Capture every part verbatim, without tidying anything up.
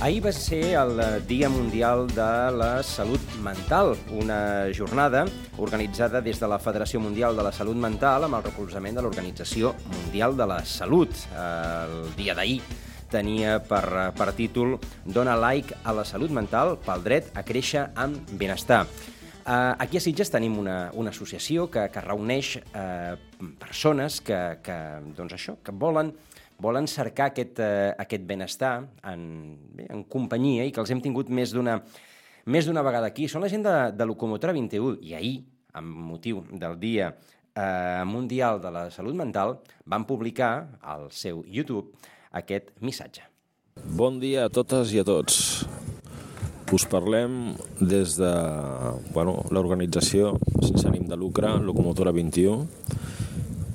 Ahir va ser el Dia Mundial de la Salut Mental, una jornada organitzada des de la Federació Mundial de la Salut Mental amb el recolzament de l'Organització Mundial de la Salut. El dia d'ahir tenia per, per títol Dona like a la salut mental pel dret a créixer amb benestar. Aquí a Sitges tenim una, una associació que, que reuneix eh, persones que, que, doncs això, que volen volen cercar aquest, eh, aquest benestar en, bé, en companyia i que els hem tingut més d'una més d'una vegada aquí. Són la gent de, de Locomotora vint i u i ahir, amb motiu del Dia eh, Mundial de la Salut Mental, van publicar al seu YouTube aquest missatge. Bon dia a totes i a tots. Us parlem des de bueno, l'organització sense ànim de lucre, Locomotora vint i u.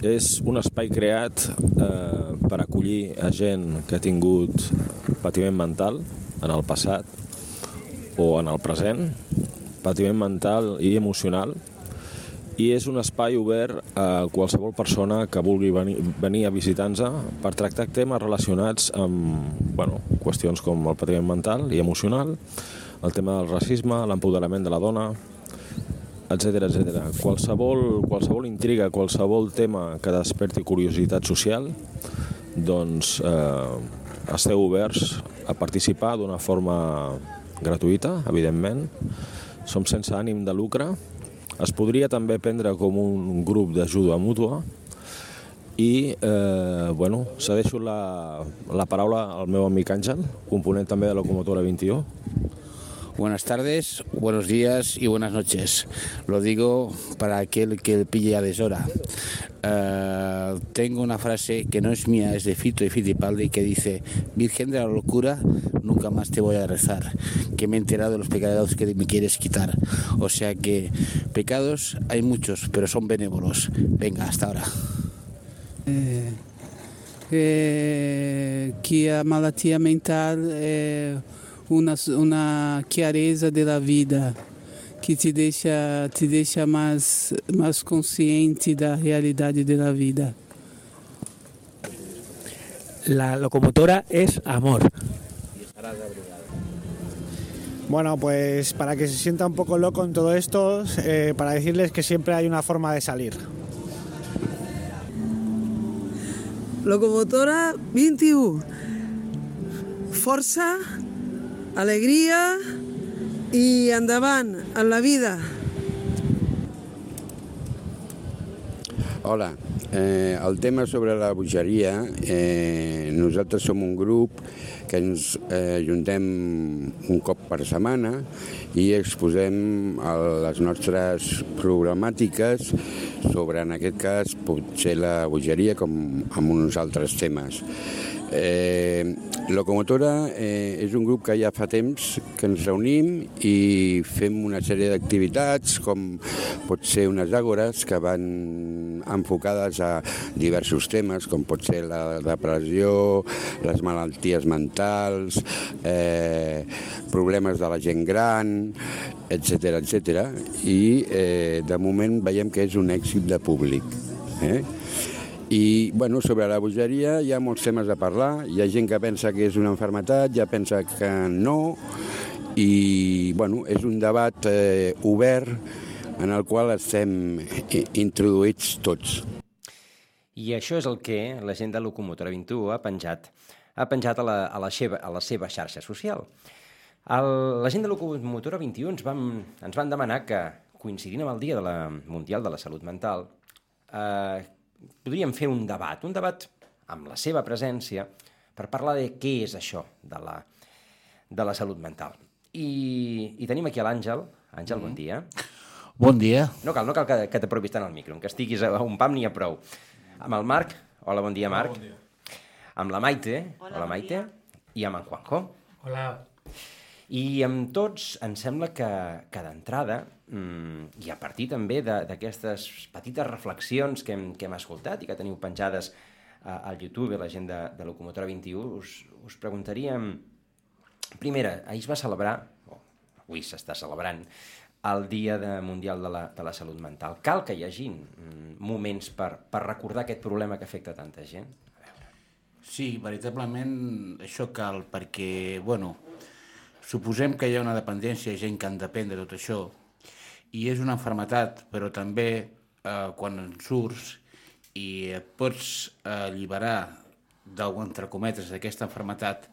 És un espai creat eh, per acollir a gent que ha tingut patiment mental en el passat o en el present, patiment mental i emocional, i és un espai obert a qualsevol persona que vulgui venir, venir a visitar-nos per tractar temes relacionats amb bueno, qüestions com el patiment mental i emocional, el tema del racisme, l'empoderament de la dona, etcètera, etcètera. Qualsevol, qualsevol intriga, qualsevol tema que desperti curiositat social, doncs eh, esteu oberts a participar d'una forma gratuïta, evidentment. Som sense ànim de lucre. Es podria també prendre com un grup d'ajuda mútua i, eh, bueno, cedeixo la, la paraula al meu amic Àngel, component també de Locomotora vint i u. Buenas tardes, buenos días y buenas noches. Lo digo para aquel que pille a deshora. Uh, tengo una frase que no es mía, es de Fito y Fitipaldi, que dice: Virgen de la locura, nunca más te voy a rezar, que me he enterado de los pecados que me quieres quitar. O sea que pecados hay muchos, pero son benévolos. Venga, hasta ahora. Eh, eh, que a malattia mental é Una, una chiarezza della vida que te deixa, te deixa mais, mais consciente da realidade della vida. La locomotora es amor. Bueno, pues para que se sienta un poco loco en todo esto, eh, para decirles que siempre hay una forma de salir. Locomotora vint i u. Força, alegria i endavant en la vida. Hola, eh, el tema sobre la bogeria, eh, nosaltres som un grup que ens eh, ajuntem un cop per setmana i exposem les nostres problemàtiques sobre, en aquest cas, potser la bogeria com amb uns altres temes. Eh, Locomotora eh, és un grup que ja fa temps que ens reunim i fem una sèrie d'activitats com pot ser unes àgores que van enfocades a diversos temes com pot ser la depressió, les malalties mentals, eh, problemes de la gent gran, etcètera, etcètera. I eh, de moment veiem que és un èxit de públic. Eh? I, bueno, sobre la bogeria hi ha molts temes a parlar. Hi ha gent que pensa que és una malaltia, ja pensa que no, i, bueno, és un debat eh, obert en el qual estem introduïts tots. I això és el que la gent de Locomotora vint i u ha penjat, ha penjat a la, a la, seva, a la seva xarxa social. El, la gent de Locomotora vint i u ens, vam, ens van demanar que, coincidint amb el Dia de la Mundial de la Salut Mental, eh, podríem fer un debat, un debat amb la seva presència per parlar de què és això de la, de la salut mental. I, i tenim aquí a l'Àngel. Àngel, mm. bon dia. Bon dia. No cal, no cal que, que t'apropis tant al micro, que estiguis a un pam n'hi ha prou. Amb el Marc. Hola, bon dia, Marc. Hola, bon dia. Amb la Maite. Hola, Hola, Maite. Bon I amb en Juanjo. Hola. I amb tots em sembla que, que d'entrada, mmm, i a partir també d'aquestes petites reflexions que hem, que hem escoltat i que teniu penjades a, al YouTube, la gent de, de Locomotora vint i u, us, us preguntaríem... Primera, ahir es va celebrar, o avui s'està celebrant, el Dia de Mundial de la, de la Salut Mental. Cal que hi hagi mm, moments per, per recordar aquest problema que afecta tanta gent? A veure. Sí, veritablement això cal, perquè, bueno, suposem que hi ha una dependència, gent que en depèn de tot això, i és una malaltia, però també eh, quan en surts i et pots alliberar, entre cometes, d'aquesta malaltia,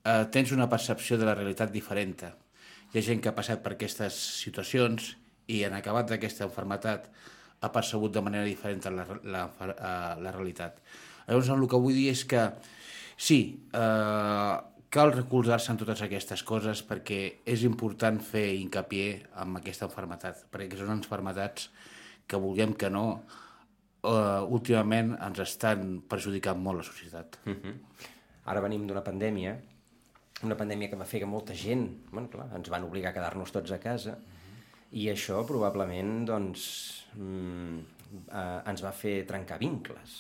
eh, tens una percepció de la realitat diferent. Hi ha gent que ha passat per aquestes situacions i en acabat d'aquesta malaltia ha percebut de manera diferent la, la, la realitat. Llavors, el que vull dir és que sí, eh, cal recolzar-se en totes aquestes coses perquè és important fer hincapié en aquesta malaltia, perquè són malalties que vulguem que no, eh, últimament ens estan perjudicant molt la societat. Uh-huh. Ara venim d'una pandèmia, una pandèmia que va fer que molta gent, bueno, clar, ens van obligar a quedar-nos tots a casa, i això probablement doncs, mm, eh, ens va fer trencar vincles.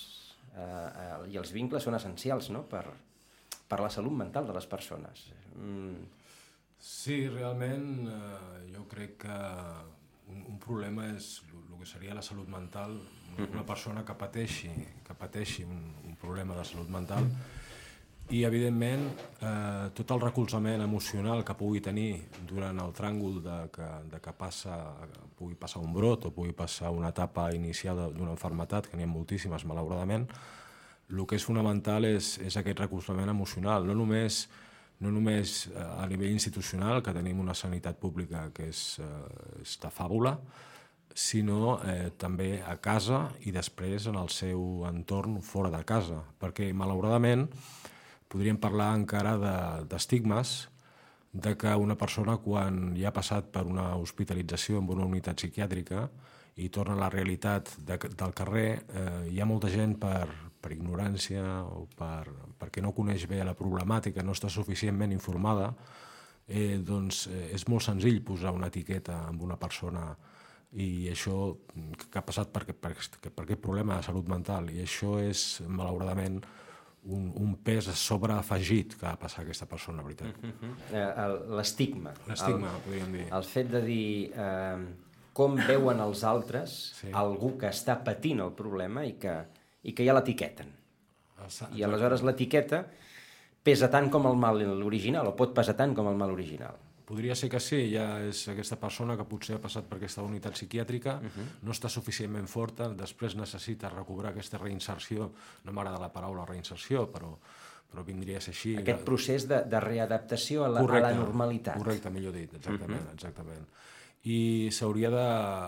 Eh, eh, I els vincles són essencials, no?, per, per la salut mental de les persones. Mm. Sí, realment eh, jo crec que un, un problema és el que seria la salut mental. Una persona que pateixi, que pateixi un, un problema de salut mental i, evidentment, eh, tot el recolzament emocional que pugui tenir durant el tràngol de que, de que passa, pugui passar un brot o pugui passar una etapa inicial d'una malaltia, que n'hi ha moltíssimes, malauradament, el que és fonamental és, és aquest recolzament emocional, no només, no només a nivell institucional, que tenim una sanitat pública que és, eh, és de fàbula, sinó eh, també a casa i després en el seu entorn fora de casa, perquè, malauradament, podríem parlar encara d'estigmes de que una persona, quan ja ha passat per una hospitalització en una unitat psiquiàtrica i torna a la realitat de, del carrer, eh, hi ha molta gent per, per ignorància o per, perquè no coneix bé la problemàtica, no està suficientment informada, eh, doncs eh, és molt senzill posar una etiqueta amb una persona i això que ha passat per, per, per aquest problema de salut mental, i això és, malauradament, un, un pes sobreafegit que ha passat aquesta persona, la veritat. Uh-huh. L'estigma. L'estigma, podríem dir. El fet de dir eh, com veuen els altres sí. algú que està patint el problema i que, i que ja l'etiqueten. I aleshores l'etiqueta pesa tant com el mal original, o pot pesar tant com el mal original. Podria ser que sí, ja és aquesta persona que potser ha passat per aquesta unitat psiquiàtrica, uh-huh. no està suficientment forta, després necessita recobrar aquesta reinserció, no m'agrada la paraula reinserció, però, però vindria a ser així. Aquest procés de, de readaptació a la, correcte, a la normalitat. Correcte, millor dit, exactament, uh-huh. exactament. I s'hauria de,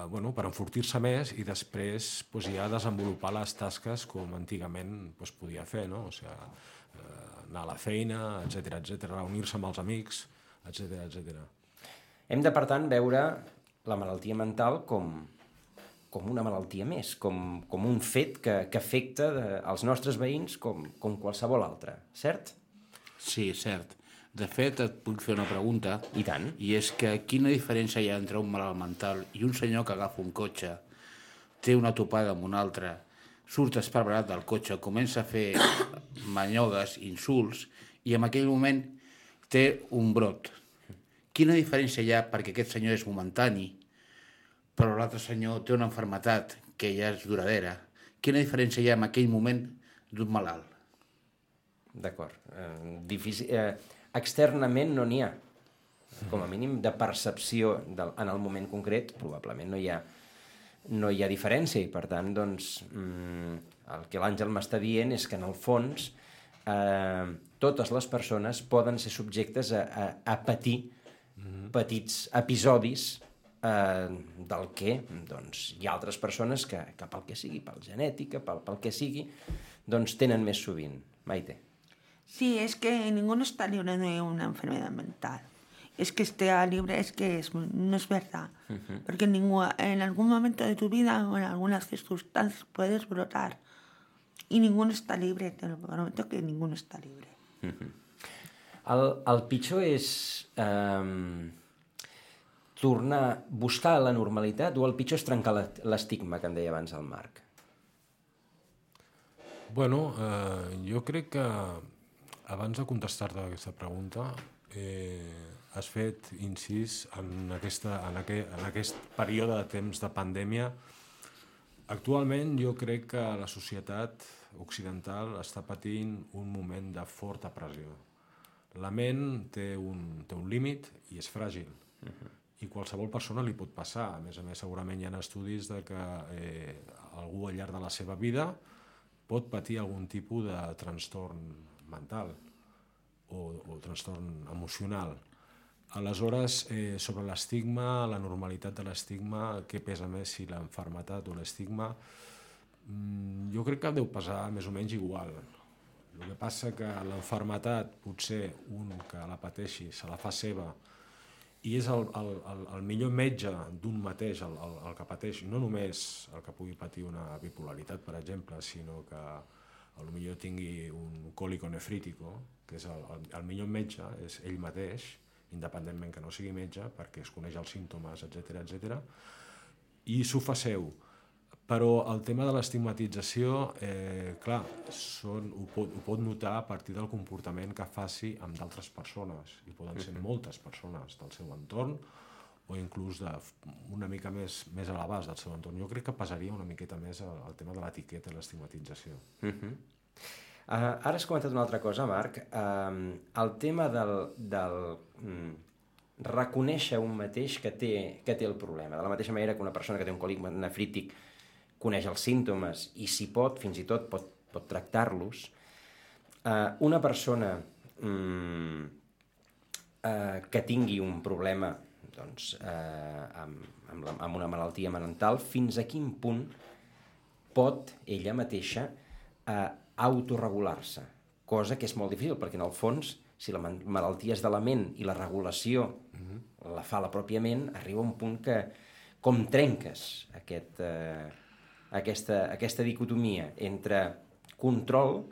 bueno, per enfortir-se més i després pues, ja desenvolupar les tasques com antigament pues, podia fer, no? O sigui, eh, anar a la feina, etcètera, etcètera, reunir-se amb els amics, etcètera, etcètera. Hem de, per tant, veure la malaltia mental com, com una malaltia més, com, com un fet que, que afecta de, els nostres veïns com, com qualsevol altre, cert? Sí, cert. De fet, et puc fer una pregunta. I tant. I és que quina diferència hi ha entre un malalt mental i un senyor que agafa un cotxe, té una topada amb un altre, surt esparverat del cotxe, comença a fer manyogues, insults, i en aquell moment té un brot. Quina diferència hi ha perquè aquest senyor és momentani, però l'altre senyor té una malaltia que ja és duradera? Quina diferència hi ha en aquell moment d'un malalt? D'acord. Eh, difícil, eh, externament no n'hi ha. Com a mínim de percepció del, en el moment concret, probablement no hi ha, no hi ha diferència, i per tant, doncs, mm, el que l'Àngel m'està dient és que en el fons eh, totes les persones poden ser subjectes a, a, a patir mm-hmm. petits episodis eh, del que doncs, hi ha altres persones que, que pel que sigui, pel genètica, pel, pel que sigui, doncs tenen més sovint. Maite. Sí, es que ninguno está libre de una enfermedad mental. Es que esté libre, es que es, no es verdad. Uh-huh. Porque en, ningún, en algún momento de tu vida o en algunas circunstancias puedes brotar. Y ninguno está libre, te lo prometo que ninguno está libre. Uh-huh. el, el pitjor és eh, tornar, buscar la normalitat, o el pitjor és trencar l'estigma que em deia abans el Marc? Bueno, eh, jo crec que abans de contestar-te aquesta pregunta eh, has fet incís en, aquesta, en, aquest, en aquest període de temps de pandèmia Actualment jo crec que la societat occidental està patint un moment de forta pressió. La ment té un, té un límit i és fràgil. Uh-huh. I qualsevol persona li pot passar. A més a més, segurament hi ha estudis de que eh, algú al llarg de la seva vida pot patir algun tipus de trastorn mental o, o trastorn emocional. Aleshores, eh, sobre l'estigma, la normalitat de l'estigma, què pesa més, si l'enfermetat o l'estigma, mm, jo crec que deu pesar més o menys igual. El que passa que l'enfermetat, potser un que la pateixi, se la fa seva, i és el, el, el, el millor metge d'un mateix el, el, el que pateix, no només el que pugui patir una bipolaritat, per exemple, sinó que potser tingui un còlico nefrítico, que és el, el, el millor metge, és ell mateix, independentment que no sigui metge, perquè es coneix els símptomes, etcètera, etcètera, i s'ho fa seu. Però el tema de l'estigmatització, eh, clar, són, ho, pot, ho pot notar a partir del comportament que faci amb d'altres persones, i poden ser moltes persones del seu entorn, o inclús de, una mica més, més a l'abast del seu entorn. Jo crec que pesaria una miqueta més el, el tema de l'etiqueta i l'estigmatització. Uh-huh. Uh, ara has comentat una altra cosa, Marc. Uh, el tema del, del um, reconèixer un mateix que té, que té el problema. De la mateixa manera que una persona que té un còlic nefrític coneix els símptomes i si pot, fins i tot pot, pot tractar-los. Uh, una persona um, uh, que tingui un problema doncs, uh, amb, amb, la, amb una malaltia mental, fins a quin punt pot ella mateixa uh, autorregular-se, cosa que és molt difícil, perquè en el fons, si la malaltia és de la ment i la regulació uh-huh. la fa la pròpia ment, arriba a un punt que com trenques aquest, eh, aquesta, aquesta dicotomia entre control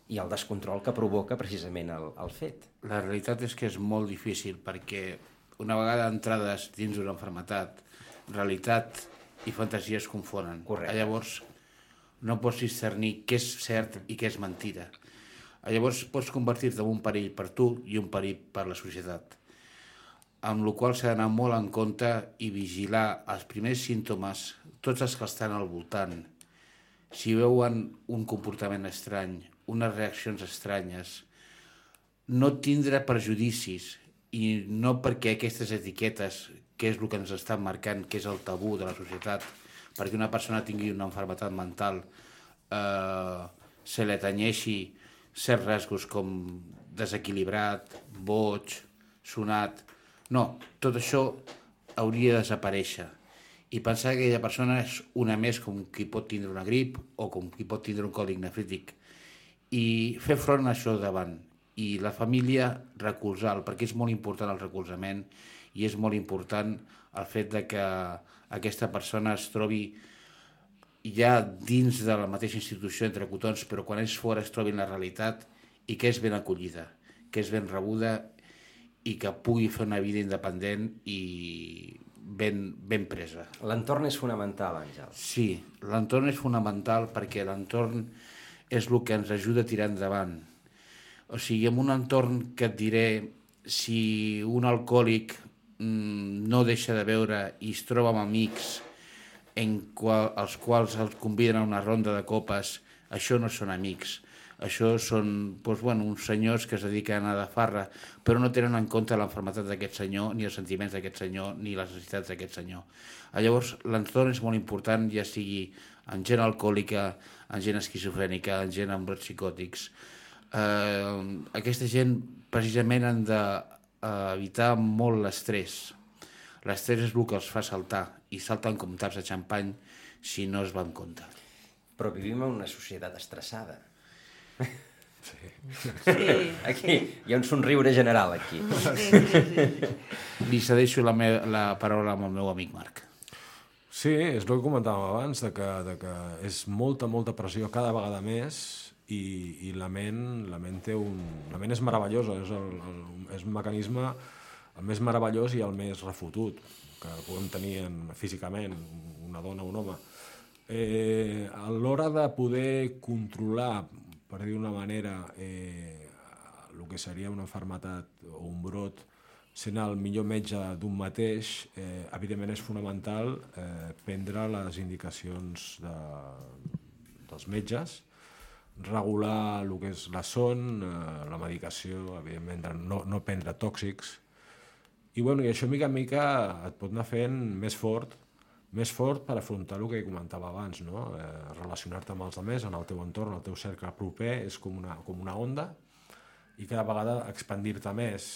i el descontrol que provoca precisament el, el fet. La realitat és que és molt difícil, perquè una vegada entrades dins d'una malaltia, realitat i fantasia es confonen. Correcte. Llavors, no pots discernir què és cert i què és mentida. Llavors pots convertir-te en un perill per tu i un perill per la societat. Amb la qual s'ha d'anar molt en compte i vigilar els primers símptomes, tots els que estan al voltant. Si veuen un comportament estrany, unes reaccions estranyes, no tindre prejudicis, i no perquè aquestes etiquetes, que és el que ens estan marcant, que és el tabú de la societat, perquè una persona tingui una malaltia mental, eh, se li atanyeixi certs rasgos com desequilibrat, boig, sonat. No, tot això hauria de desaparèixer. I pensar que aquella persona és una més com qui pot tindre una grip o com qui pot tindre un còlic nefrític. I fer front a això davant. I la família recolzar-lo, perquè és molt important el recolzament i és molt important el fet de que aquesta persona es trobi ja dins de la mateixa institució entre cotons, però quan és fora es trobi en la realitat i que és ben acollida, que és ben rebuda i que pugui fer una vida independent i ben, ben presa. L'entorn és fonamental, Àngel. Sí, l'entorn és fonamental perquè l'entorn és el que ens ajuda a tirar endavant. O sigui, en un entorn que et diré, si un alcohòlic no deixa de beure i es troba amb amics en qual, els quals els conviden a una ronda de copes, això no són amics. Això són doncs, bueno, uns senyors que es dediquen a anar de farra, però no tenen en compte l'enfermetat d'aquest senyor, ni els sentiments d'aquest senyor, ni les necessitats d'aquest senyor. Llavors, l'entorn és molt important, ja sigui en gent alcohòlica, en gent esquizofrènica, en gent amb brots psicòtics. Eh, aquesta gent precisament han de evitar molt l'estrès. L'estrès és el que els fa saltar, i salten com taps de xampany si no es va en compte. Però vivim en una societat estressada. Sí. Sí. Aquí hi ha un somriure general, aquí. Sí, sí, sí. Li cedeixo la, me la paraula al meu amic Marc. Sí, és el que comentàvem abans, de que, de que és molta, molta pressió cada vegada més i, i la ment, la ment té un... La ment és meravellosa, és, el, el, és un mecanisme el més meravellós i el més refotut que podem tenir en, físicament, una dona o un home. Eh, a l'hora de poder controlar, per dir d'una manera, eh, el que seria una malaltia o un brot sent el millor metge d'un mateix, eh, evidentment és fonamental eh, prendre les indicacions de, dels metges, regular el que és la son, eh, la medicació, evidentment no, no prendre tòxics, i, bueno, i això mica en mica et pot anar fent més fort, més fort per afrontar el que comentava abans, no? Eh, relacionar-te amb els altres, en el teu entorn, el teu cercle proper, és com una, com una onda, i cada vegada expandir-te més.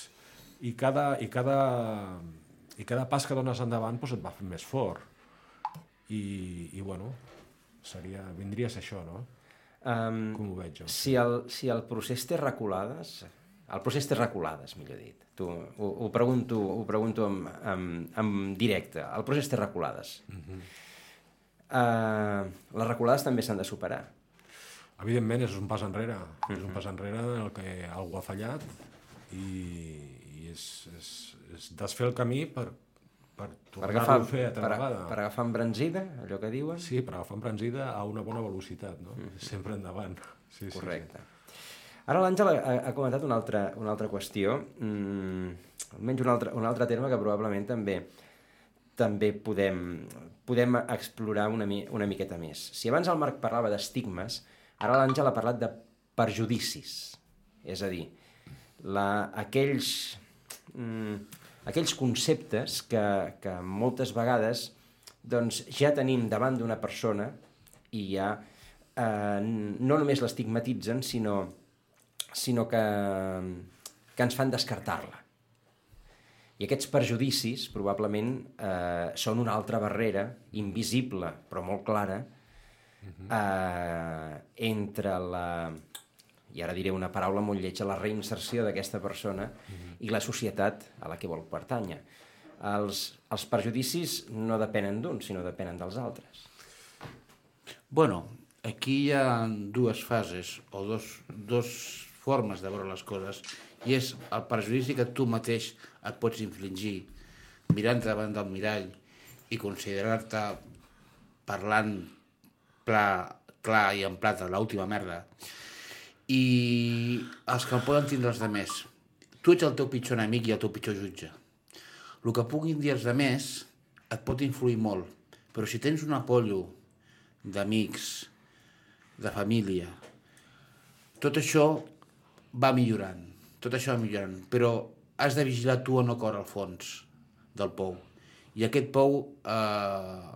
I cada, i, cada, I cada pas que dones endavant doncs et va fer més fort. I, i bueno, seria, vindria a ser això, no? Um, Com ho veig jo? Si el, si el procés té reculades, el procés té reculades, millor dit, tu, ho, ho pregunto, ho pregunto en, en, en directe, el procés té reculades. Uh-huh. uh, les reculades també s'han de superar. Evidentment, és un pas enrere, uh-huh. és un pas enrere en el que algú ha fallat i, i és, és, és desfer el camí per, per tornar-ho a fer altra per, vegada. Per agafar embranzida, allò que diuen? Sí, per agafar embranzida a una bona velocitat, no? Uh-huh. Sempre endavant. Sí, correcte. Sí, sí. Ara l'Àngel ha, ha comentat una altra, una altra qüestió, mm, almenys un altre, un altre terme que probablement també també podem, podem explorar una, mi, una miqueta més. Si abans el Marc parlava d'estigmes, ara l'Àngel ha parlat de perjudicis. És a dir, la, aquells, mm, aquells conceptes que, que moltes vegades doncs, ja tenim davant d'una persona i ja eh, no només l'estigmatitzen, sinó sinó que, que ens fan descartar-la. I aquests perjudicis probablement eh, són una altra barrera, invisible però molt clara, eh, entre la, i ara diré una paraula molt lletja, la reinserció d'aquesta persona i la societat a la que vol pertànyer. Els, els perjudicis no depenen d'uns, sinó depenen dels altres. Bueno, aquí hi ha dues fases, o dos, dos formes de veure les coses, i és el perjudici que tu mateix et pots infligir mirant davant del mirall i considerar-te parlant pla, clar i en plata, l'última merda, i els que el poden tindre els demés. Tu ets el teu pitjor enemic i el teu pitjor jutge. El que puguin dir els demés et pot influir molt, però si tens un apollo d'amics, de família, tot això va millorant, tot això va millorant, però has de vigilar tu a no córrer al fons del pou. I aquest pou, eh,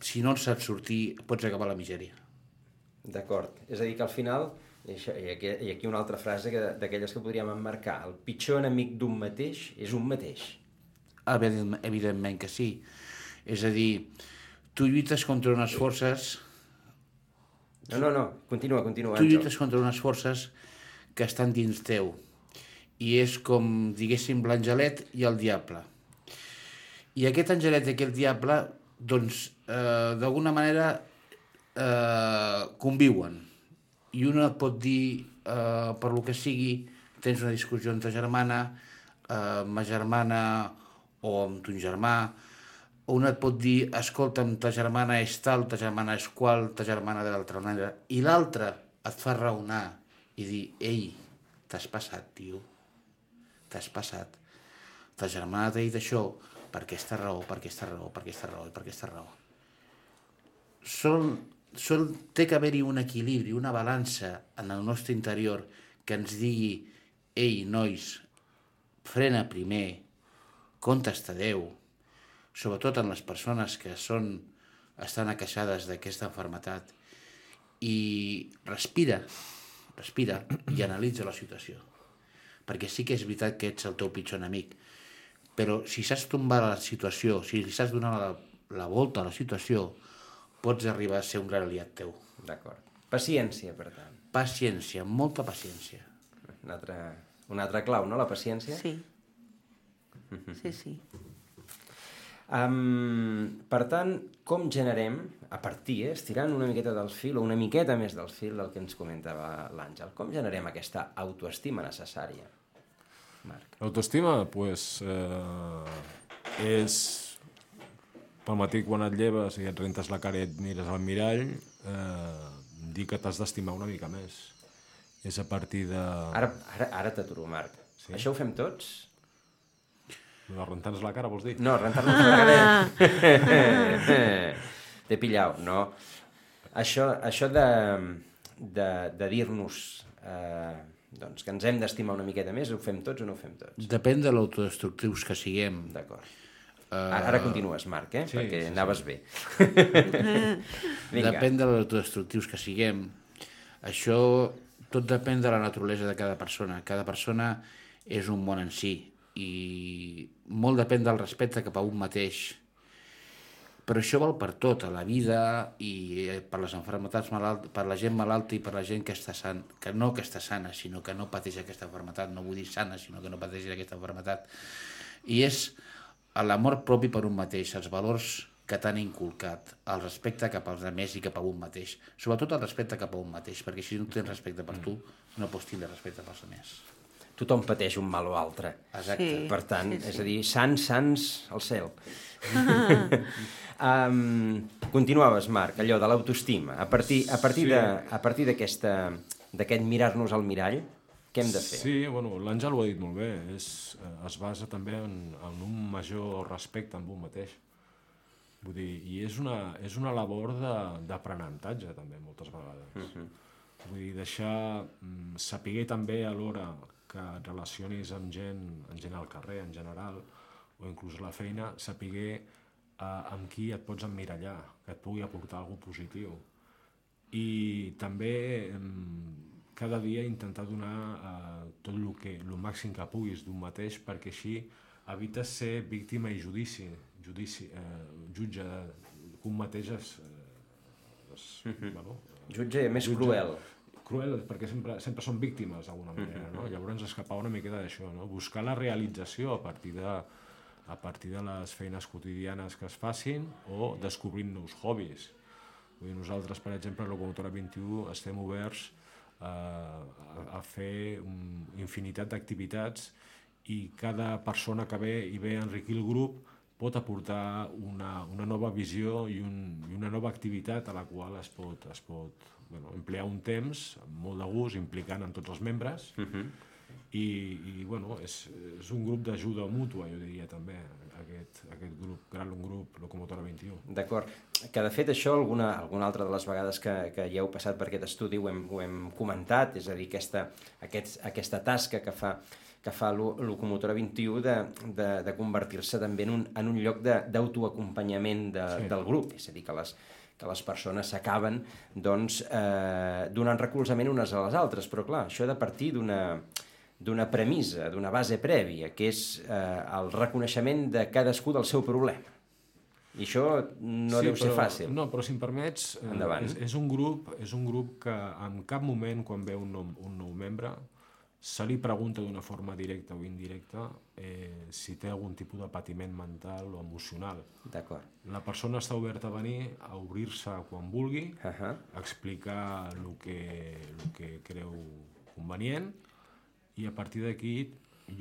si no en saps sortir, pots acabar la misèria. D'acord. És a dir, que al final, i, això, i, aquí, i aquí una altra frase que, d'aquelles que podríem emmarcar, el pitjor enemic d'un mateix és un mateix. Evidentment que sí. És a dir, tu lluites contra unes forces... No, no, no, continua, continua. Tu lluites contra unes forces que estan dins teu. I és com, diguéssim, l'angelet i el diable. I aquest angelet i aquest diable, doncs, eh, d'alguna manera eh, conviuen. I una et pot dir, eh, per lo que sigui, tens una discussió amb ta germana, eh, amb ma germana o amb ton germà, o una et pot dir, escolta'm, ta germana és tal, ta germana és qual, ta germana de l'altra manera, i l'altra et fa raonar i dir, ei, t'has passat, tio, t'has passat. Ta germana t'ha dit això per aquesta raó, per aquesta raó, per aquesta raó i per aquesta raó. Sol, sol té que haver-hi un equilibri, una balança en el nostre interior que ens digui, ei, nois, frena primer, compte està Déu, sobretot en les persones que són, estan aqueixades d'aquesta malaltia, i respira, respira i analitza la situació. Perquè sí que és veritat que ets el teu pitjor enemic, però si saps tombar la situació, si saps donar la, la volta a la situació, pots arribar a ser un gran aliat teu. D'acord. Paciència, per tant. Paciència, molta paciència. Una altra, una altra clau, no?, la paciència? Sí. Sí, sí. Um, per tant, com generem, a partir, eh, estirant una miqueta del fil, o una miqueta més del fil del que ens comentava l'Àngel, com generem aquesta autoestima necessària, Marc? L'autoestima, doncs, pues, eh, és pel matí quan et lleves i et rentes la cara i et mires al mirall, eh, dir que t'has d'estimar una mica més. És a partir de... Ara, ara, ara t'aturo, Marc. Sí? Això ho fem tots? De rentar-nos la cara, vols dir? No, rentar-nos la cara... T'he pillat, no. Això, això de, de, de dir-nos eh, doncs, que ens hem d'estimar una miqueta més, ho fem tots o no ho fem tots? Depèn de l'autodestructius que siguem. D'acord. Uh... Ara continues, Marc, eh? Sí, perquè sí, anaves sí. bé. Depèn de l'autodestructius que siguem. Això tot depèn de la naturalesa de cada persona. Cada persona és un món en si i molt depèn del respecte cap a un mateix. Però això val per tot, a la vida i per les malalties malalt, per la gent malalta i per la gent que està sana, que no que està sana, sinó que no pateix aquesta malaltia, no vull dir sana, sinó que no pateix aquesta malaltia. I és l'amor propi per un mateix, els valors que t'han inculcat, el respecte cap als altres i cap a un mateix. Sobretot el respecte cap a un mateix, perquè si no tens respecte per tu, no pots tindre respecte pels altres. Tothom pateix un mal o altre. Exacte. Sí, per tant, sí, sí. És a dir, sants, sants, al cel. um, continuaves, Marc, allò de l'autoestima. A partir, a partir sí. de, a partir d'aquesta, d'aquest mirar-nos al mirall, què hem de fer? Sí, bueno, l'Àngel ho ha dit molt bé. És, es basa també en, en un major respecte amb un mateix. Vull dir, i és una, és una labor d'aprenentatge, també, moltes vegades. Uh-huh. Vull dir, deixar, saber també alhora que et relacionis amb gent, amb gent al carrer en general, o inclús a la feina, saber eh, amb qui et pots emmirallar, que et pugui aportar alguna cosa positiu. I també eh, cada dia intentar donar eh, tot el que, el màxim que puguis d'un mateix, perquè així evites ser víctima i judici, judici eh, jutge, que un mateix és... Eh, és mm-hmm. bueno, jutge més jutge, cruel. Cruel, perquè sempre, sempre són víctimes d'alguna manera, no? Llavors escapar una miqueta d'això, no? Buscar la realització a partir de, a partir de les feines quotidianes que es facin o descobrint nous hobbies. Vull dir, nosaltres, per exemple, a Locomotora vint-i-u estem oberts eh, a, a fer un, infinitat d'activitats i cada persona que ve i ve a enriquir el grup pot aportar una, una nova visió i, un, i una nova activitat a la qual es pot, es pot bueno, emplear un temps molt de gust, implicant en tots els membres, uh-huh. i, i bueno, és, és un grup d'ajuda mútua, jo diria també, aquest, aquest grup, gran grup Locomotora vint-i-u. D'acord, que de fet això alguna, alguna altra de les vegades que, que hi heu passat per aquest estudi ho hem, ho hem comentat, és a dir, aquesta, aquest, aquesta tasca que fa que fa Locomotora vint-i-u de, de, de convertir-se també en un, en un lloc d'autoacompanyament de, sí. del grup, és a dir, que les, que les persones s'acaben doncs, eh, donant recolzament unes a les altres, però clar, això ha de partir d'una d'una premissa, d'una base prèvia, que és eh, el reconeixement de cadascú del seu problema. I això no sí, deu ser però, fàcil. No, però si em permets, eh, és, és, un grup, és un grup que en cap moment, quan ve un nou, un nou membre, se li pregunta d'una forma directa o indirecta eh, si té algun tipus de patiment mental o emocional. D'acord. La persona està oberta a venir, a obrir-se quan vulgui, uh-huh. a explicar el que, el que creu convenient, i a partir d'aquí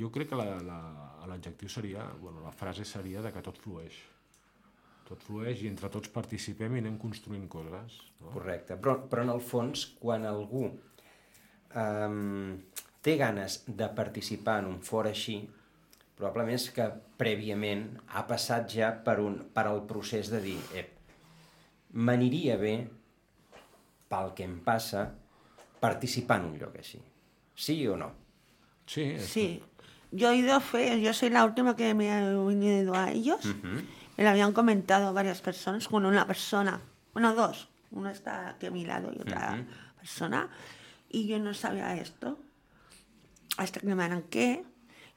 jo crec que l'adjectiu seria, bueno, la frase seria de que tot flueix. Tot flueix i entre tots participem i anem construint coses. No? Correcte, però, però en el fons, quan algú um, té ganes de participar en un fora així, probablement és que prèviament ha passat ja per, un, per el procés de dir ep, m'aniria bé, pel que em passa, participar en un lloc així. Sí o no? Sí. Sí. Yo he ido fe, yo soy la última que me he unido a ellos. Uh-huh. Me lo habían comentado varias personas, con una persona, bueno, dos. Una está aquí a mi lado y otra uh-huh. persona. Y yo no sabía esto. Hasta que me arranqué,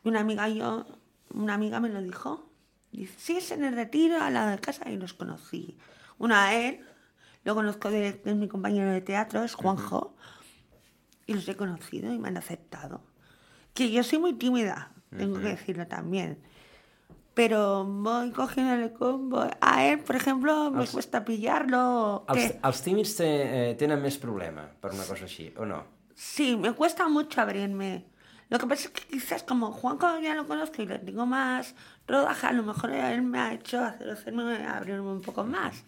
y una amiga yo, una amiga me lo dijo. Dice, sí, es en el retiro al lado de casa, y los conocí. Uno a él, lo conozco de, de mi compañero de teatro, es Juanjo, uh-huh. y los he conocido y me han aceptado. Que yo soy muy tímida, tengo uh-huh. que decirlo también. Pero voy cogiéndole combo. A él, por ejemplo, me els, cuesta pillarlo. Els, els tímids te, eh, tenen més problema per una cosa així, o no? Sí, me cuesta mucho abrirme. Lo que pasa es que quizás como Juanjo ya lo conozco y le tengo más rodaje, a lo mejor él me ha hecho hacer, hacerme abrirme un poco más.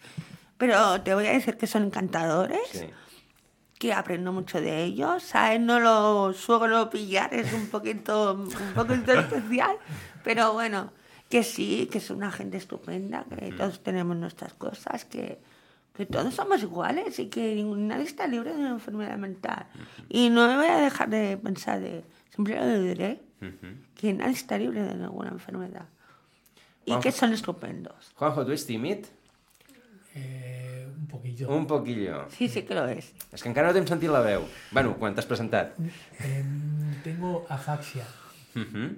Pero te voy a decir que son encantadores, sí. que aprendo mucho de ellos. A él no lo suelo pillar, es un poquito, un poquito especial, pero bueno. que sí, que es una gente estupenda, que uh-huh. todos tenemos nuestras cosas, que, que todos somos iguales y que nadie está libre de una enfermedad mental. Uh-huh. Y no me voy a dejar de pensar, de, siempre lo diré, uh-huh. que nadie está libre de ninguna enfermedad. Y Juanjo, que son estupendos. Juanjo, ¿tú eres tímid? Eh, un poquillo. Un poquillo. Sí, sí que lo és. És que encara no t'hem sentit la veu. Bueno, quan t'has presentat. Eh, tengo afaxia. Uh-huh.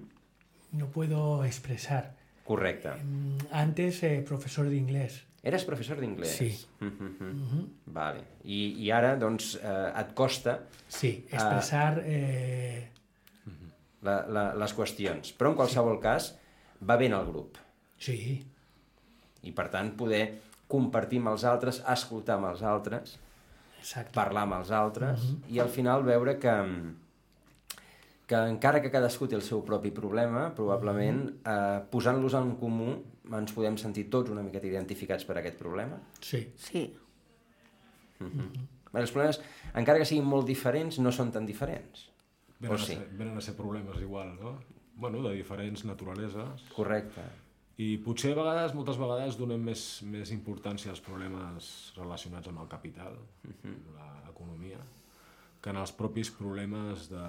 No puedo expresar. Correcte. Eh, antes, eh, profesor de inglés. Eres professor d'inglès? Sí. Uh-huh. Uh-huh. Vale. I, I ara, doncs, eh, et costa... Sí, expressar... Eh... La, la, les qüestions. Però, en qualsevol sí. cas, va bé en el grup. Sí. I, per tant, poder compartir amb els altres, escoltar amb els altres, Exacte. Parlar amb els altres, uh-huh. i al final veure que, que encara que cadascú té el seu propi problema, probablement, uh-huh. eh, posant-los en comú, ens podem sentir tots una miqueta identificats per aquest problema. Sí. Sí. Uh-huh. Uh-huh. Els problemes, encara que siguin molt diferents, no són tan diferents. Venen, o a, sí? ser, venen a ser problemes igual, no? Bueno, de diferents naturaleses. Correcte. I potser a vegades, moltes vegades, donem més, més importància als problemes relacionats amb el capital, uh-huh. l'economia, que en els propis problemes de,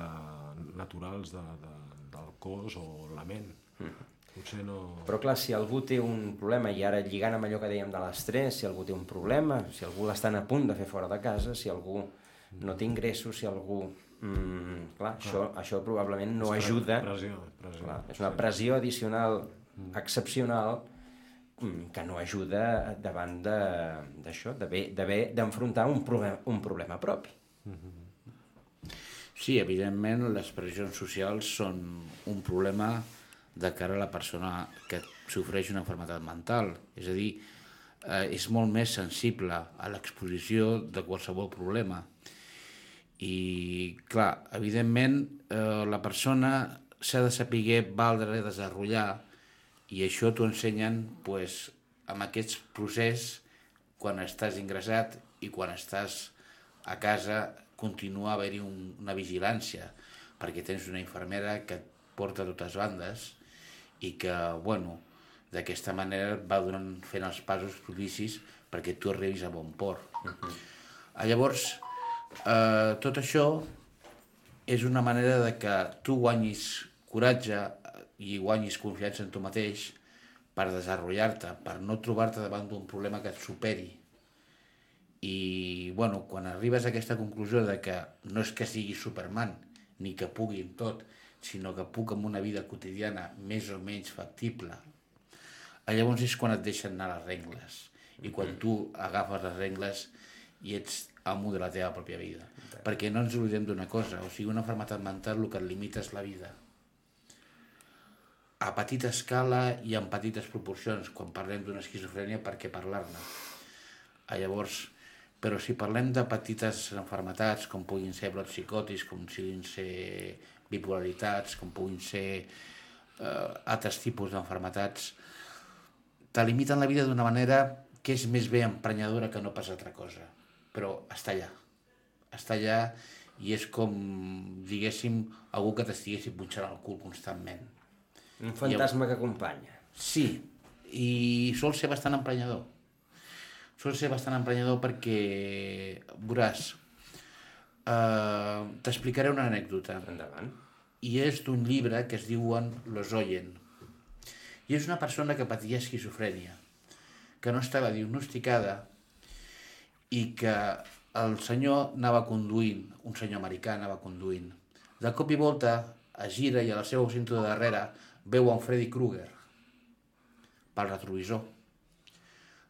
naturals de, de, del cos o la ment. Uh-huh. Potser no... Però clar, si algú té un problema, i ara lligant amb allò que dèiem de l'estrès, si algú té un problema, si algú l'estan a punt de fer fora de casa, si algú no té ingressos, si algú... Mm, clar, ah. això, això probablement no és ajuda. Pressió, pressió. Clar, és una pressió addicional mm. excepcional que no ajuda davant d'això, d'haver d'enfrontar un, problema, un problema propi. Sí, evidentment les pressions socials són un problema de cara a la persona que sofreix una malaltia mental. És a dir, eh, és molt més sensible a l'exposició de qualsevol problema. I, clar, evidentment, eh, la persona s'ha de saber valdre i desenvolupar, i això t'ho ensenyen pues, amb aquest procés quan estàs ingressat i quan estàs a casa continua a haver-hi un, una vigilància, perquè tens una infermera que et porta a totes bandes i que, bueno, d'aquesta manera va donant, fent els passos propicis perquè tu arribis a bon port. Uh-huh. Llavors, eh, tot això és una manera de que tu guanyis coratge i guanyis confiança en tu mateix per desenvolupar-te, per no trobar-te davant d'un problema que et superi. I, bueno, quan arribes a aquesta conclusió de que no és que sigui Superman, ni que pugui en tot, sinó que puc amb una vida quotidiana més o menys factible, llavors és quan et deixen anar les regles. I quan tu agafes les regles i ets amo de la teva pròpia vida. Perquè no ens oblidem d'una cosa, o sigui, una malaltia mental el que et limita és la vida. A petita escala i en petites proporcions. Quan parlem d'una esquizofrènia, per què parlar-ne? Llavors, però si parlem de petites malalties, com puguin ser brots psicòtics, com puguin ser bipolaritats, com puguin ser eh, altres tipus d'enfermetats, te limiten la vida d'una manera que és més bé emprenyadora que no pas altra cosa. Però està allà. Està allà i és com, diguéssim, algú que t'estiguessi punxant el cul constantment. Un fantasma I, que acompanya. Sí, i sol ser bastant emprenyador. Sol ser bastant emprenyador perquè, veuràs, eh, t'explicaré una anècdota. Endavant. I és d'un llibre que es diuen Los Oyen. I és una persona que patia esquizofrènia, que no estava diagnosticada i que el senyor anava conduint, un senyor americà anava conduint. De cop i volta es gira i a la seva cinta de darrere veu en Freddy Krueger pel retrovisor.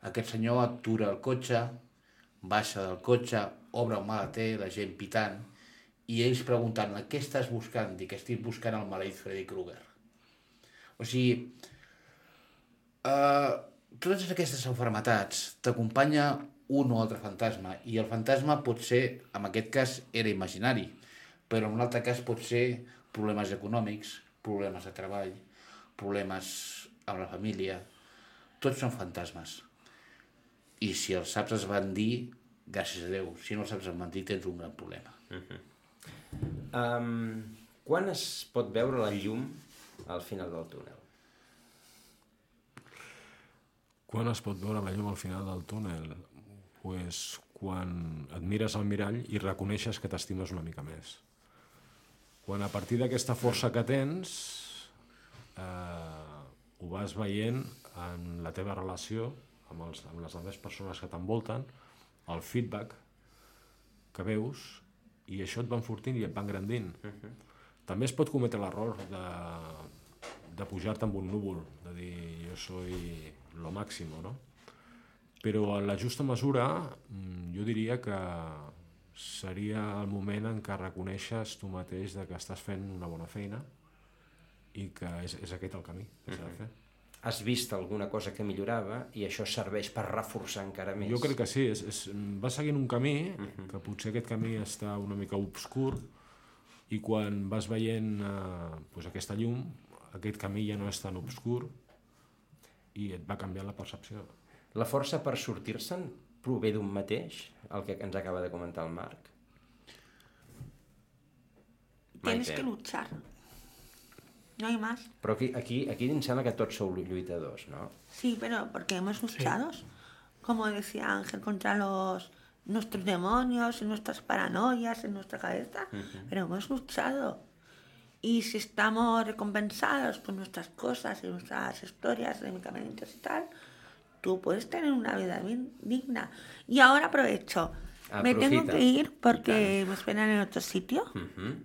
Aquest senyor atura el cotxe, baixa del cotxe, obre el maleter, la gent pitant, i ells preguntant, què estàs buscant? Dic, estic buscant el maleït Freddy Krueger. O sigui, eh, totes aquestes malalties t'acompanya un o altre fantasma, i el fantasma pot ser, en aquest cas, era imaginari, però en un altre cas pot ser problemes econòmics, problemes de treball, problemes amb la família, tots són fantasmes. I si els saps es van dir, gràcies a Déu, si no els saps es van dir, tens un gran problema. Uh-huh. um, quan es pot veure la llum al final del túnel? Quan es pot veure la llum al final del túnel? Pues quan et mires al mirall i reconeixes que t'estimes una mica més. Quan a partir d'aquesta força que tens eh, ho vas veient en la teva relació amb, els, amb les altres persones que t'envolten, el feedback que veus, i això et va enfortint i et va engrandint. Uh-huh. També es pot cometre l'error de, de pujar-te amb un núvol, de dir jo soy lo máximo, no? Però en la justa mesura jo diria que seria el moment en què reconeixes tu mateix de que estàs fent una bona feina i que és, és aquest el camí que s'ha de fer. Has vist alguna cosa que millorava i això serveix per reforçar encara més? Jo crec que sí, és, és, va seguint un camí, uh-huh. que potser aquest camí està una mica obscur, i quan vas veient eh, doncs aquesta llum, aquest camí ja no és tan obscur i et va canviar la percepció. La força per sortir-se'n prové d'un mateix, el que ens acaba de comentar el Marc? Tienes que luchar. No hay más. Però aquí, aquí, aquí em sembla que tots sou lluitadors, ¿no? Sí, pero porque hemos luchado, sí. Como decía Ángel, contra los nuestros demonios, y nuestras paranoias en nuestra cabeza, uh-huh. Pero hemos luchado. Y si estamos recompensados por nuestras cosas y nuestras historias de medicamentos y tal, tú puedes tener una vida bien digna. Y ahora aprovecho. Aprofita. Me tengo que ir porque me esperan en otro sitio. Uh-huh.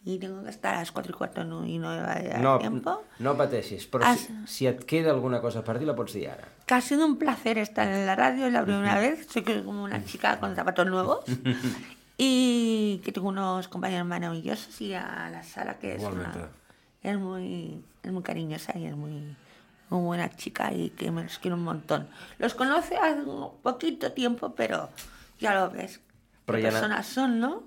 Y tengo que estar a las cuatro y cuarto y no va a dar no, tiempo. No pateixis, però Has... si, si et queda alguna cosa per dir la pots dir ara. Que ha sido un placer estar en la radio, es la primera uh-huh. vez, soy como una chica con zapatos nuevos y que tengo unos compañeros maravillosos y a la Sara que es, una, es, muy, es muy cariñosa y es muy, muy buena chica y que me los quiero un montón. Los conoce hace un poquito tiempo, pero ya lo ves, però qué ja personas na... son, ¿no?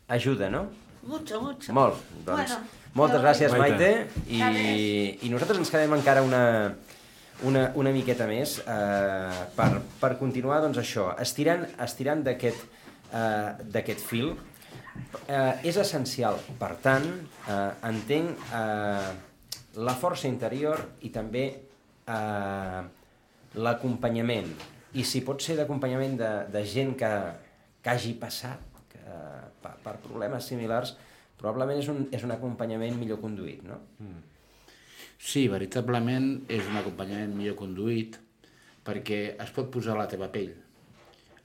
Ajuda, no? Mucho, mucho. Molt, doncs, bueno, moltes gràcies, Maite. Maite, i, i nosaltres ens quedem encara una, una, una miqueta més eh, per, per continuar, doncs això, estirant, estirant d'aquest eh, d'aquest fil. Eh, és essencial, per tant, eh, entenc eh, la força interior i també eh, l'acompanyament, i si pot ser d'acompanyament de, de gent que, que hagi passat Per, per problemes similars, probablement és un, és un acompanyament millor conduït, no? Mm. Sí, veritablement és un acompanyament millor conduït perquè es pot posar a la teva pell.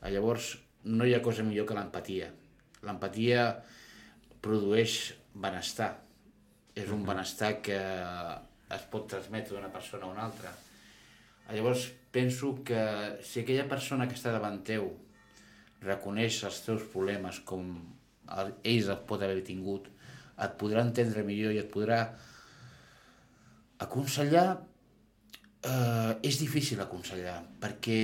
Llavors, no hi ha cosa millor que l'empatia. L'empatia produeix benestar. És un benestar que es pot transmetre d'una persona a una altra. Llavors, penso que si aquella persona que està davant teu reconeix els teus problemes com ells els pot haver tingut, et podrà entendre millor i et podrà aconsellar. Eh, és difícil aconsellar, perquè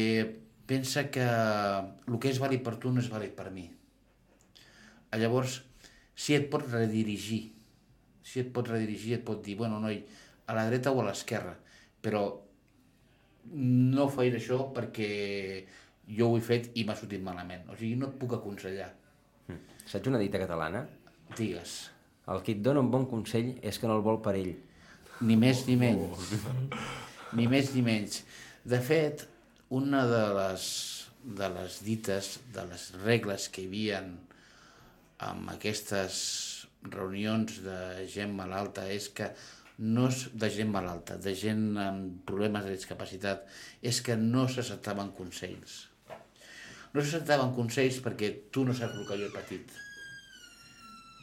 pensa que el que és vàlid per tu no és vàlid per mi. Llavors, si et pot redirigir, si et pot redirigir, et pot dir, bueno, noi, a la dreta o a l'esquerra, però no faig això perquè jo ho he fet i m'ha sortit malament. O sigui, no et puc aconsellar. Mm. Saps una dita catalana? Digues. El que et dona un bon consell és que no el vol per ell. Ni més ni menys. Ni més ni menys. De fet, una de les, de les dites, de les regles que hi havia amb aquestes reunions de gent malalta és que no és de gent malalta, de gent amb problemes de discapacitat, és que no s'acceptaven consells. No s'acceptaven consells perquè tu no saps el que jo he patit.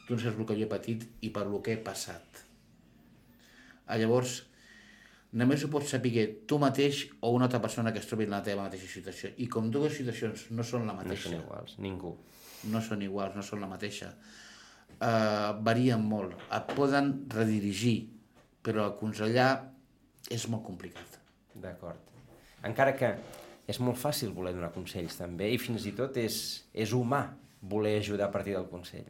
Tu no saps el que jo he patit i per el que he passat. Llavors, només ho pots saber tu mateix o una altra persona que es trobi en la teva mateixa situació. I com dues situacions no són la mateixa. No són iguals, ningú. No són iguals, no són la mateixa. Uh, varien molt. Et poden redirigir, però aconsellar és molt complicat. D'acord. Encara que és molt fàcil voler donar consells també, i fins i tot és, és humà voler ajudar a partir del consell.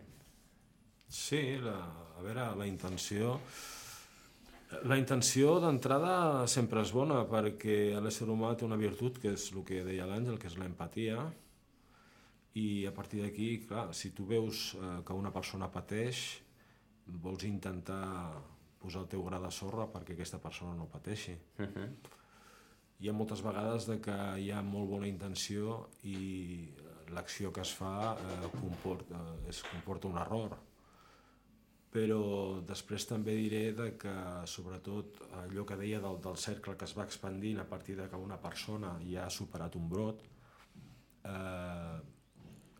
Sí, la, a veure, la intenció... La intenció d'entrada sempre és bona, perquè l'ésser humà té una virtut, que és el que deia l'Àngel, que és l'empatia, i a partir d'aquí, clar, si tu veus eh, que una persona pateix, vols intentar posar el teu gra de sorra perquè aquesta persona no pateixi. Uh-huh. hi ha moltes vegades de que hi ha molt bona intenció i l'acció que es fa eh, comporta, es comporta un error. Però després també diré de que, sobretot, allò que deia del, del cercle que es va expandint a partir de que una persona ja ha superat un brot, eh,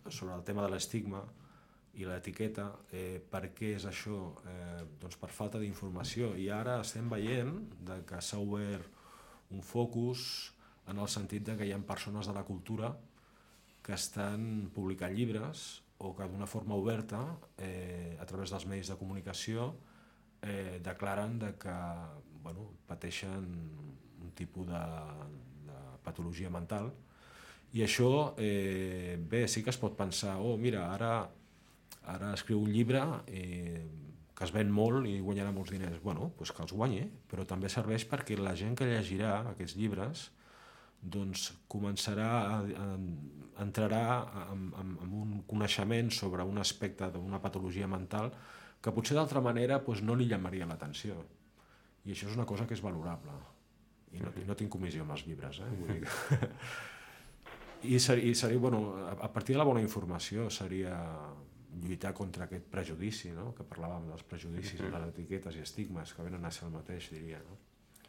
sobre el tema de l'estigma i l'etiqueta, eh, per què és això? Eh, doncs per falta d'informació. I ara estem veient de que s'ha obert un focus en el sentit de que hi ha persones de la cultura que estan publicant llibres o que d'una forma oberta, eh, a través dels medis de comunicació, eh, declaren de que bueno, pateixen un tipus de, de patologia mental. I això, eh, bé, sí que es pot pensar, oh, mira, ara, ara escriu un llibre eh, que es ven molt i guanyarà molts diners. Bueno, doncs que els guanyi, però també serveix perquè la gent que llegirà aquests llibres doncs començarà a, a, entrarà en, en, en un coneixement sobre un aspecte d'una patologia mental que potser d'altra manera doncs, no li llamaria l'atenció. I això és una cosa que és valorable. I no, i no tinc comissió amb els llibres, eh? Vull dir que... I, ser, i seria, bueno, a partir de la bona informació seria lluitar contra aquest prejudici, no? Que parlàvem dels prejudicis, de les etiquetes i estigmes que venen a ser el mateix, diria, no?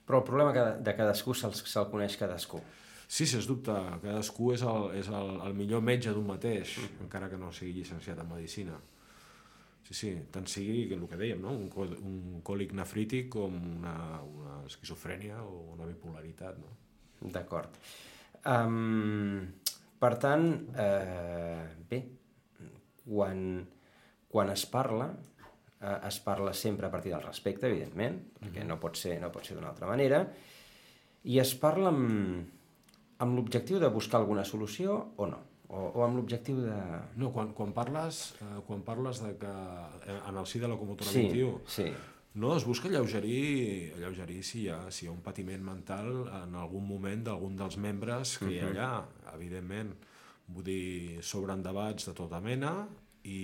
Però el problema de cadascú se'l se coneix cadascú. Sí, sens dubte, cadascú és el, és el, el millor metge d'un mateix, mm. encara que no sigui llicenciat en medicina. Sí, sí, tant sigui el que dèiem, no? un, un còlic nefrític com una, una esquizofrènia o una bipolaritat. No? D'acord. Um, per tant, eh, bé, quan, quan es parla, eh, es parla sempre a partir del respecte, evidentment, perquè no pot ser, no pot ser d'una altra manera, i es parla amb, amb l'objectiu de buscar alguna solució o no? O, o amb l'objectiu de... No, quan, quan, parles, eh, quan parles de que en el si de la locomotora sí, vint i u, sí. no, es busca alleugerir, alleugerir si, hi ha, si hi ha un patiment mental en algun moment d'algun dels membres que hi ha allà, evidentment. Vull dir, s'obren debats de tota mena i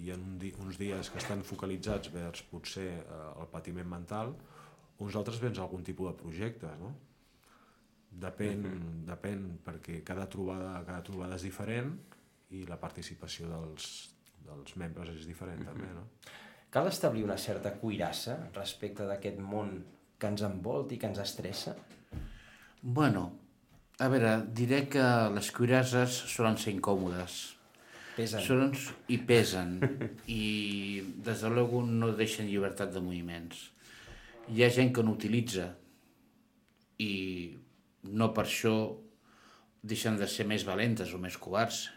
hi ha un di uns dies que estan focalitzats vers potser eh, el patiment mental, uns altres vers algun tipus de projectes, no? Depèn, uh-huh. depèn perquè cada trobada, cada trobada és diferent i la participació dels, dels membres és diferent uh-huh. també, no? Cal establir una certa cuirassa respecte d'aquest món que ens envolta i que ens estressa? Bueno, a veure, diré que les cuirasses solen ser incòmodes. Pesen. Solen, I pesen. I, des de luego, no deixen llibertat de moviments. Hi ha gent que no utilitza i no per això deixen de ser més valentes o més covards,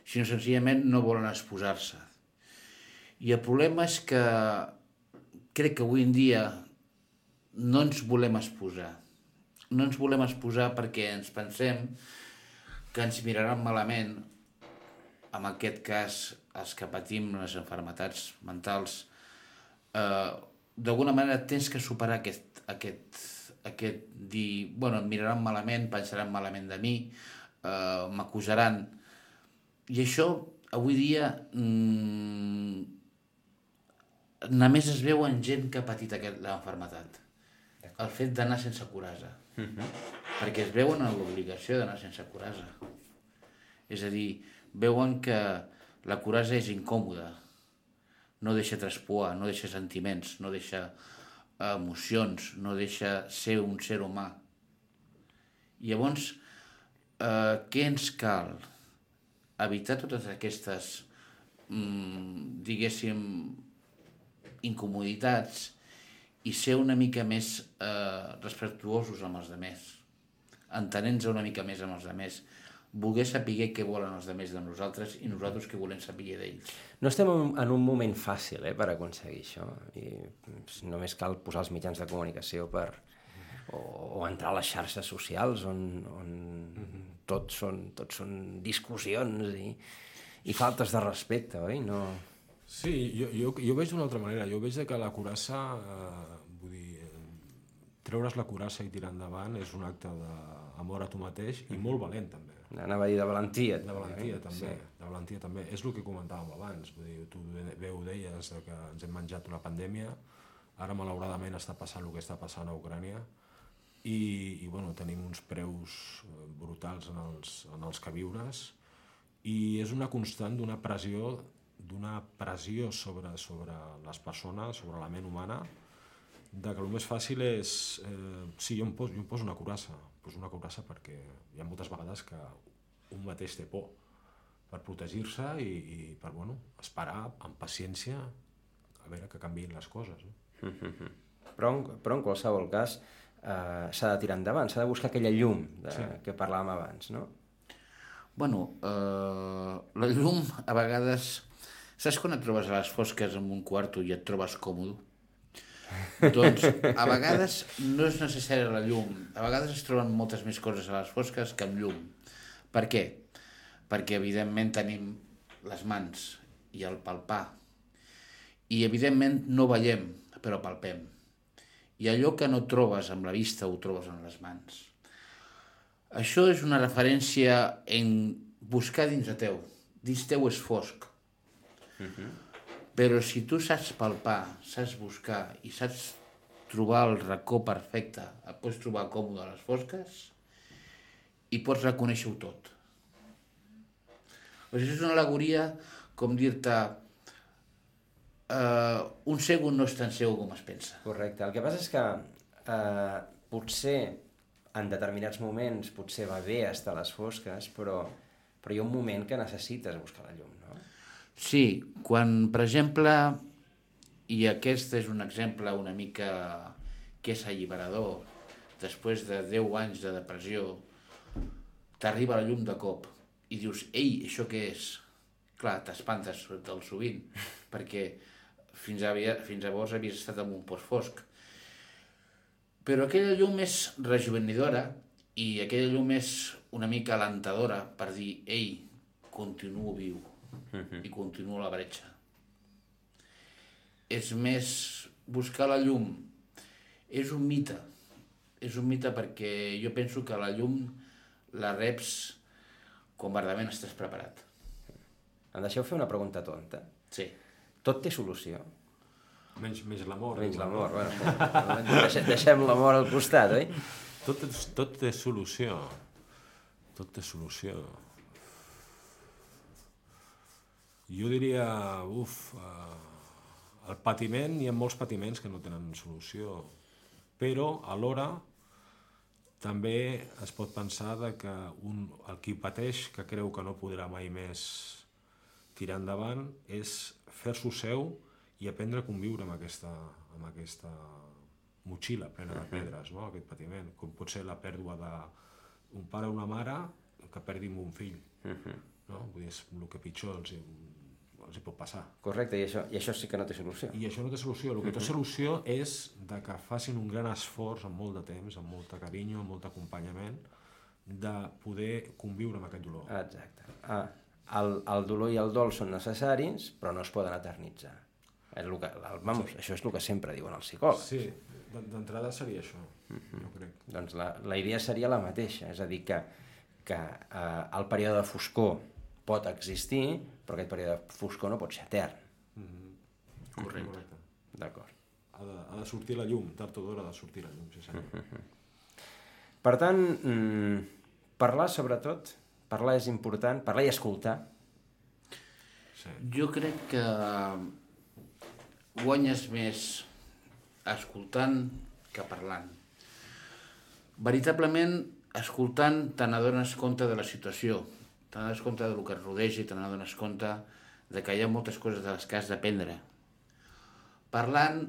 sinó senzillament no volen exposar-se. I el problema és que crec que avui en dia no ens volem exposar. No ens volem exposar perquè ens pensem que ens miraran malament, en aquest cas els que patim les malalties mentals. Eh, d'alguna manera tens que superar aquest, aquest, aquest dir, bueno, em miraran malament, pensaran malament de mi, eh, m'acusaran. I això, avui dia, mmm, només es veu en gent que ha patit aquesta malaltia. El fet d'anar sense curasa. Uh-huh. Perquè es veuen en l'obligació d'anar sense curasa. És a dir, veuen que la curasa és incòmoda. No deixa traspuar, no deixa sentiments, no deixa emocions, no deixa ser un ser humà. I llavors, eh, què ens cal? Evitar totes aquestes, mm, diguéssim, incomoditats i ser una mica més eh, respectuosos amb els altres, entenent-nos una mica més amb els altres, voler saber què volen els altres de nosaltres i nosaltres què volem saber d'ells. No estem en un moment fàcil eh, per aconseguir això, i només cal posar els mitjans de comunicació per, o, o entrar a les xarxes socials on, on mm-hmm. tot, són, tot són discussions i, i faltes de respecte, oi? No... Sí, jo, jo, jo ho veig d'una altra manera. Jo veig que la curassa, eh, vull dir, eh, treure's la curassa i tirar endavant és un acte d'amor a tu mateix i molt valent, també. Anava a dir de valentia. De valentia, eh? també. Sí. De valentia, també. És el que comentàvem abans. Vull dir, tu bé ho deies, que ens hem menjat una pandèmia, ara malauradament està passant el que està passant a Ucrània, i, i bueno, tenim uns preus brutals en els, en els queviures i és una constant d'una pressió d'una pressió sobre, sobre les persones, sobre la ment humana, de que el més fàcil és... Eh, sí, jo em, poso, jo em poso una courassa, poso una courassa perquè hi ha moltes vegades que un mateix té por per protegir-se i, i per bueno, esperar amb paciència a veure que canviïn les coses. No? Mm-hmm. Però, en, però en qualsevol cas eh, s'ha de tirar endavant, s'ha de buscar aquella llum de, sí. que parlàvem abans, no? Bueno, eh, la llum a vegades... Saps quan et trobes a les fosques en un quarto i et trobes còmode? Doncs a vegades no és necessària la llum. A vegades es troben moltes més coses a les fosques que amb llum. Per què? Perquè evidentment tenim les mans i el palpar. I evidentment no veiem, però palpem. I allò que no trobes amb la vista ho trobes en les mans. Això és una referència en buscar dins de teu. Dins teu és fosc. Uh-huh. Però si tu saps palpar, saps buscar i saps trobar el racó perfecte, et pots trobar còmode a les fosques i pots reconèixer-ho tot. O sigui, és una al·legoria com dir-te uh, un cego no és tan cego com es pensa. Correcte. El que passa és que uh, potser en determinats moments potser va bé estar a les fosques, però, però hi ha un moment que necessites buscar la llum, no? Sí, quan, per exemple, i aquest és un exemple una mica que és alliberador, després de deu anys de depressió, t'arriba la llum de cop i dius, ei, això què és? Clar, t'espantes del sovint, perquè fins, havia, fins llavors havies estat en un post fosc. Però aquella llum és rejuvenidora i aquella llum és una mica alentadora per dir, ei, continuo viu. Uh-huh. I continua la bretxa. És més, buscar la llum és un mite. És un mite perquè jo penso que la llum la reps quan verdament estàs preparat. Em deixeu fer una pregunta tonta? Sí. Tot té solució? Menys, menys l'amor. Menys l'amor, bueno. Deixem, deixem l'amor al costat, oi? Tot, tot té solució. Tot té solució. Jo diria, uf, uh, el patiment, hi ha molts patiments que no tenen solució, però alhora també es pot pensar de que un, el qui pateix, que creu que no podrà mai més tirar endavant, és fer-s'ho seu i aprendre a conviure amb aquesta, amb aquesta motxilla plena de pedres, no? Aquest patiment, com pot ser la pèrdua d'un pare o una mare que perdin un fill. No? Vull dir, és el que pitjor els, els hi pot passar. Correcte, i això, i això sí que no té solució. I això no té solució. El que té solució és de que facin un gran esforç amb molt de temps, amb molt de carinyo, amb molt d'acompanyament, de poder conviure amb aquest dolor. Exacte. Ah, el, el dolor i el dol són necessaris, però no es poden eternitzar. És el que, el, vamos, sí. Això és el que sempre diuen els psicòlegs. Sí, d'entrada seria això, mm-hmm. jo crec. Doncs la, la idea seria la mateixa, és a dir, que que eh, el període de foscor pot existir, però aquest període de foscor no pot ser etern. Mm-hmm. Correcte. Correcte. D'acord. Ha de, ha de sortir la llum, tard o d'hora ha de sortir la llum, sí, senyor. Mm-hmm. Per tant, mm, parlar sobretot, parlar és important, parlar i escoltar. Sí. Jo crec que guanyes més escoltant que parlant. Veritablement, escoltant te n'adones compte de la situació, te n'adones compte del que et rodeja i te n'adones compte de que hi ha moltes coses de les que has d'aprendre. Parlant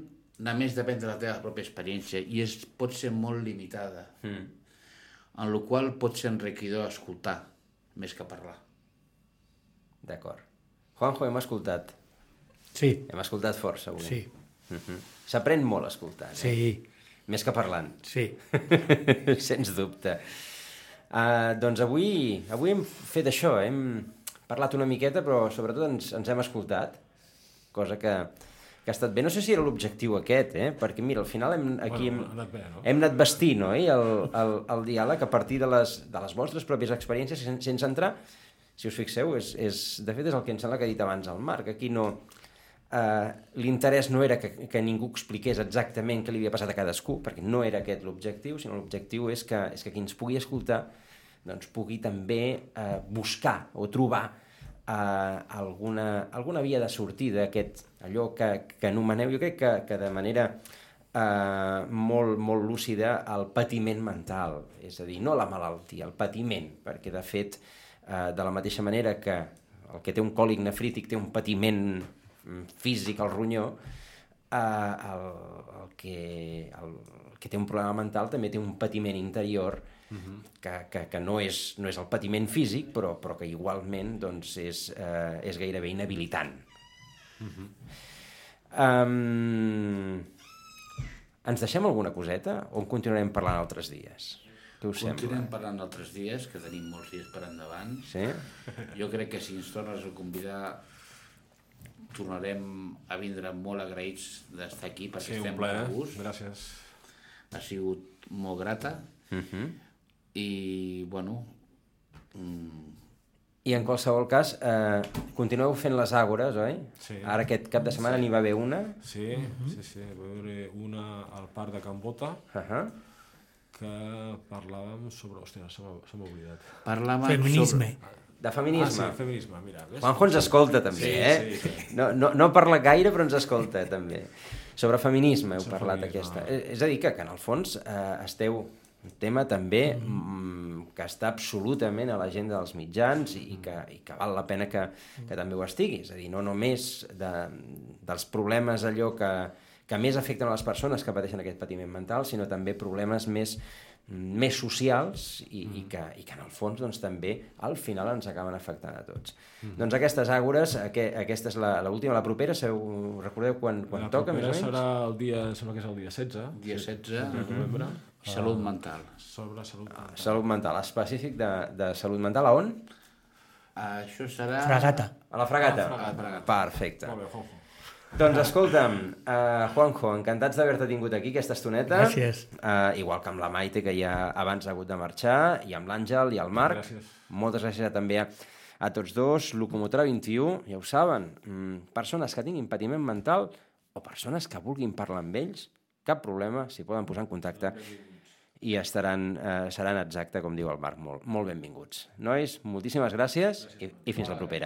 només depèn de la teva pròpia experiència i es, pot ser molt limitada, mm. en la qual pot ser enriquidor escoltar més que parlar. D'acord. Juanjo, hem escoltat. Sí. Hem escoltat força avui. Sí. Mm-hmm. S'aprèn molt escoltant. Sí. Eh? Més que parlant. Sí. Sens dubte. Uh, doncs avui, avui hem fet això, hem parlat una miqueta, però sobretot ens, ens hem escoltat, cosa que, que ha estat bé. No sé si era l'objectiu aquest, eh? Perquè mira, al final hem, aquí bueno, hem, anat bé, no? hem anat vestint, oi? El, el, el diàleg a partir de les, de les vostres pròpies experiències, sense, sense entrar, si us fixeu, és, és, de fet és el que em sembla que ha dit abans el Marc, aquí no... Uh, l'interès no era que, que ningú expliqués exactament què li havia passat a cadascú, perquè no era aquest l'objectiu, sinó l'objectiu és que, és que qui ens pugui escoltar doncs pugui també uh, buscar o trobar uh, alguna, alguna via de sortida, aquest, allò que, que anomeneu, jo crec que, que de manera uh, molt, molt lúcida, el patiment mental, és a dir, no la malaltia, el patiment, perquè de fet, uh, de la mateixa manera que el que té un còlic nefrític té un patiment físic al ronyó, eh, el, el, que, el, el que té un problema mental també té un patiment interior uh-huh. que, que, que no, és, no és el patiment físic, però, però que igualment doncs, és, eh, és gairebé inhabilitant. Uh-huh. Um, ens deixem alguna coseta o en continuarem parlant altres dies? Què us sembla? Continuem parlant altres dies, que tenim molts dies per endavant. Sí? Jo crec que si ens tornes a convidar tornarem a vindre molt agraïts d'estar aquí perquè sí, estem molt a gust. Gràcies. Ha sigut molt grata uh-huh. i, bueno... Mm... I en qualsevol cas, eh, continueu fent les àgores, oi? Sí. Ara aquest cap de setmana sí. n'hi va haver una. Sí, uh-huh. sí, sí, va haver una al parc de Can Bota, uh-huh. que parlàvem sobre... Hòstia, se m'ha oblidat. Parlàvem Feminisme. sobre... De feminisme. Ah, sí, feminisme, mira. Ves? Juanjo ens escolta, també, sí, eh? Sí, sí. No, no, no parla gaire, però ens escolta, també. Sobre feminisme heu sobre parlat, feminisme. aquesta. És a dir, que, que en el fons eh, esteu un tema també mm, que està absolutament a l'agenda dels mitjans i, i, que, i que val la pena que, que també ho estigui. És a dir, no només de, dels problemes allò que, que més afecten a les persones que pateixen aquest patiment mental, sinó també problemes més més socials i, mm. i, que, i que en el fons doncs, també al final ens acaben afectant a tots. Mm. Doncs aquestes àgores, aqu aquesta és l'última, la propera, sabeu, recordeu quan, quan la toca més o menys? La propera serà el dia, sembla que és el dia setze. Dia setze de novembre. Uh, salut mental. Sobre salut mental. Ah, salut mental, específic de, de salut mental, a on? Això serà... Fragata. A la Fragata? A la Fragata. Perfecte. Molt bé, Juanjo. Doncs escolta'm, uh, Juanjo, encantats d'haver-te tingut aquí aquesta estoneta. Gràcies. Uh, igual que amb la Maite, que ja abans ha hagut de marxar, i amb l'Àngel i el Marc. Gràcies. Moltes gràcies també a, a tots dos. Locomotora vint i u, ja ho saben, mm, persones que tinguin patiment mental o persones que vulguin parlar amb ells, cap problema, s'hi poden posar en contacte i estaran, eh, seran exacte, com diu el Marc, molt, molt benvinguts. Nois, moltíssimes gràcies, gràcies. I, i fins la propera.